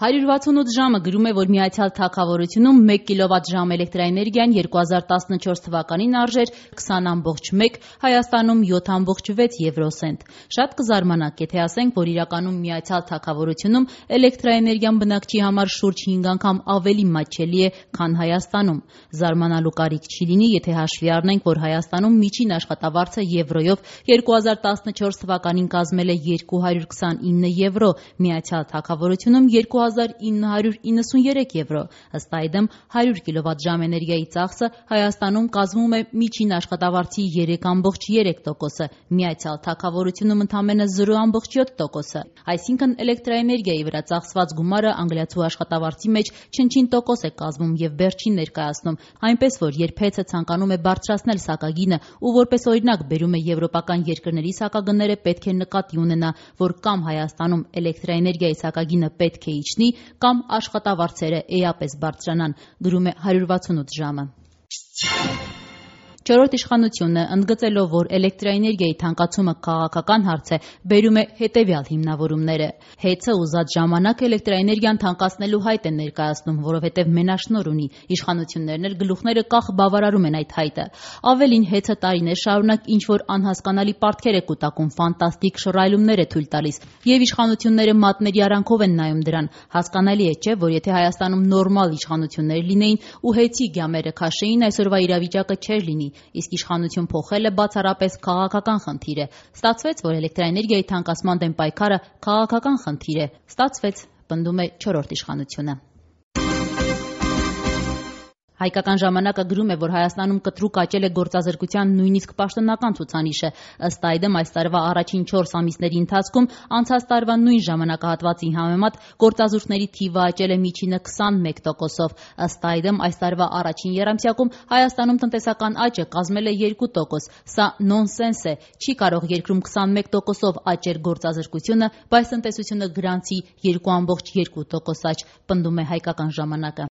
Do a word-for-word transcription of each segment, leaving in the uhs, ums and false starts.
հարյուր վաթսունութ ժամը գրում է, որ Միացյալ Թագավորությունում մեկ կիլովատ-ժամ էլեկտրաէներգիան երկու հազար տասնչորս թվականին արժեր քսան ամբողջ մեկ, Հայաստանում յոթ ամբողջ վեց եվրոսենտ։ Շատ կզարմանաք, եթե ասենք, որ իրականում Միացյալ Թագավորությունում էլեկտրաէներգիան բնակչի համար շուրջ հինգ անգամ ավելի մատչելի է, քան Հայաստանում։ Զարմանալու կարիք չի լինի, եթե հաշվի առնենք, որ Հայաստանում միջին աշխատավարձը եվրոյով երկու հազար տասնչորս թվականին կազմել է երկու հարյուր քսանինը եվրո, Միացյալ Թագավորությունում երկու հազար ինը հարյուր իննսուններեք եվրո։ Ըստ այդմ հարյուր կիլովատ-ժամ էներգիայի ծախսը Հայաստանում կազմում է միջին աշխատավարձի երեք ամբողջ երեք տոկոսը, Միացյալ Թագավորությունում ընդամենը զրո ամբողջ յոթ տոկոսը։ Այսինքն էլեկտրաէներգիայի վրա ծախսված գումարը անգլիացու աշխատավարձի մեջ չնչին տոկոս է կազմում եւ վերջին ներկայացնում, այնպես որ երբ հեծը ցանկանում է բարձրացնել սակագինը ու որպես օրինակ բերում է եվրոպական երկրների սակագները, պետք է նկատի ունենա, որ կամ Հայաստանում էլեկտրաէներգիայի սակագինը պետք է իջնի, կամ աշխատավարձերը էապես բարձրանան, գրում է հարյուր վաթսունութ ժամը։ Չորրորդ իշխանությունը, ընդգծելով, որ էլեկտրաէներգիայի թանկացումը քաղաքական հարց է, բերում է հետևյալ հիմնավորումները։ Հեծը ուզած ժամանակ էլեկտրաէներգիան թանկացնելու հայտ է ներկայացնում, որովհետև մենաշնորհ ունի, իշխանություններն էլ գլուխները կախ բավարարում են այդ հայտը։ Ավելին, հեծը տարիներ շարունակ ինչ-որ անհասկանալի պարտքեր է կուտակում, ֆանտաստիկ շռայլումներ է թույլ տալիս, եւ իշխանությունները մատների արանքով են նայում դրան։ Հասկանալի է, չէ՞, որ եթե Հայաստանում նորմալ իշխանություններ լինեին ու հեծի գյամերը քաշեին, այսօրվա իրավիճակը չէր լինի, իսկ իշխանություն փոխելը բացառապես քաղաքական խնդիր է։ Ստացվեց, որ էլեկտրաէներգիայի թանկացման դեմ պայքարը քաղաքական խնդիր է։ Ստացվեց, պնդում է չորրորդ իշխանությունը։ Հայկական ժամանակը գրում է, որ Հայաստանում կտրուկ աճել է գործազրկության նույնիսկ պաշտոնական ցուցանիշը։ Ըստ այդմ, այս տարվա առաջին չորս ամիսների ընթացքում անցած տարվա նույն ժամանակահատվածի համեմատ գործազուրկների թիվը աճել է միջինը քսանմեկ տոկոսով։ Ըստ այդմ, այս տարվա առաջին եռամսյակում Հայաստանում տնտեսական աճը կազմել է երկու տոկոս։ Սա նոնսենս է։ Չի կարող երկրում քսանմեկ տոկոսով աճել գործազրկությունը, բայց տնտեսությունը գրանցի երկու ամբողջ երկու տոկոս աճ, պնդում է Հայկական ժամանակը։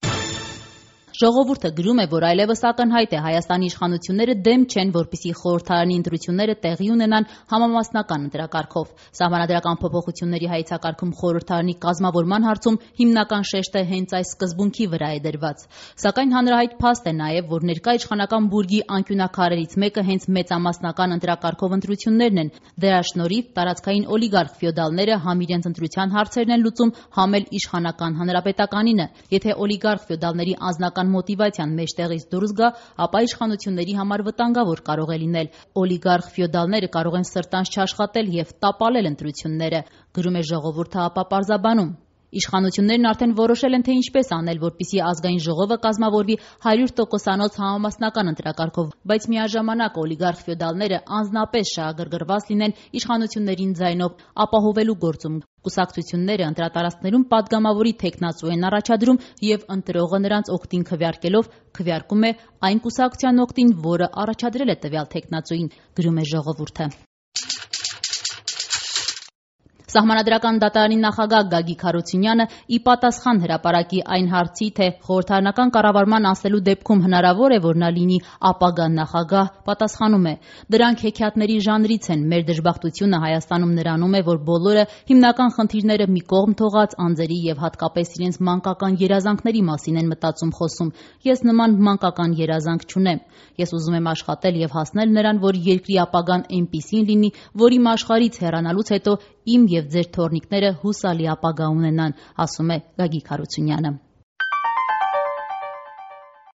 Ժողովուրդը գրում է, որ այլևս ակնհայտ է Հայաստանի իշխանությունները դեմ չեն, որպեսզի խորհրդարանի ընտրությունները տեղի ունենան համամասնական ընտրակարգով։ Սահմանադրական փոփոխությունների հայեցակարգում խորհրդարանի կազմավորման հարցում հիմնական շեշտը հենց այս սկզբունքի վրա է դրված։ Սակայն հանրահայտ փաստ է նաև, որ ներկա իշխանական բուրգի անկյունաքարերից մեկը հենց մեծամասնական ընտրակարգով ընտրություններն են։ Դրա շնորհիվ տարածքային օլիգարխ ֆյոդալները համ իրենց ընտրության հարցերն են լուծում, համ էլ իշխանական հանրապետականինը։ Եթե օլիգարխ ֆյոդալների անձնական մոտիվացիան մեջտեղից դուրս գա, ապա իշխանությունների համար վտանգավոր կարող է լինել։ Օլիգարխ ֆյոդալները կարող են սրտանց չաշխատել եւ տապալել ընտրությունները, գրում է Ժողովուրդը ապա պարզաբանում։ Իշխանություններն արդեն որոշել են, թե ինչպես անել, որպեսզի ազգային ժողովը կազմավորվի հարյուր տոկոսանոց համամասնական ընտրակարգով, բայց միաժամանակ օլիգարխ ֆյոդալները անձնապես շահագրգռված լինեն իշխանություններին ձայնով ապահովելու գործում։ Կուսակցությունները ընտրատարածքներում պատգամավորի թեկնածու են առաջադրում եւ ընտրողը նրանց օգտին քվեարկելով քվեարկում է այն կուսակցության օգտին, որը առաջադրել է տվյալ թեկնածուին, գրում է Ժողովուրդը։ Սահմանադրական դատարանի նախագահ Գագիկ Հարությունյանը ի պատասխան հրապարակի այն հարցի, թե խորհրդարանական կառավարման անցնելու դեպքում հնարավոր է, որ նա լինի ապագա նախագահ, պատասխանում է. դրանք հեքիաթների ժանրից են, մեր դժբախտությունը Հայաստանում նրանում է, որ բոլորը հիմնական խնդիրները մի կողմ թողած անձերի եւ հատկապես իրենց մանկական երազանքների մասին են մտածում խոսում։ Ես նման մանկական երազանք չունեմ։ Ես ուզում եմ աշխատել եւ հասնել նրան, որ երկրի ապագան այնպիսին լինի, որ իմ աշխարհից հեռանալուց հետո իմ եւ ձեր թոռնիկները հուսալի ապագա ունենան, ասում է Գագիկ Հարությունյանը։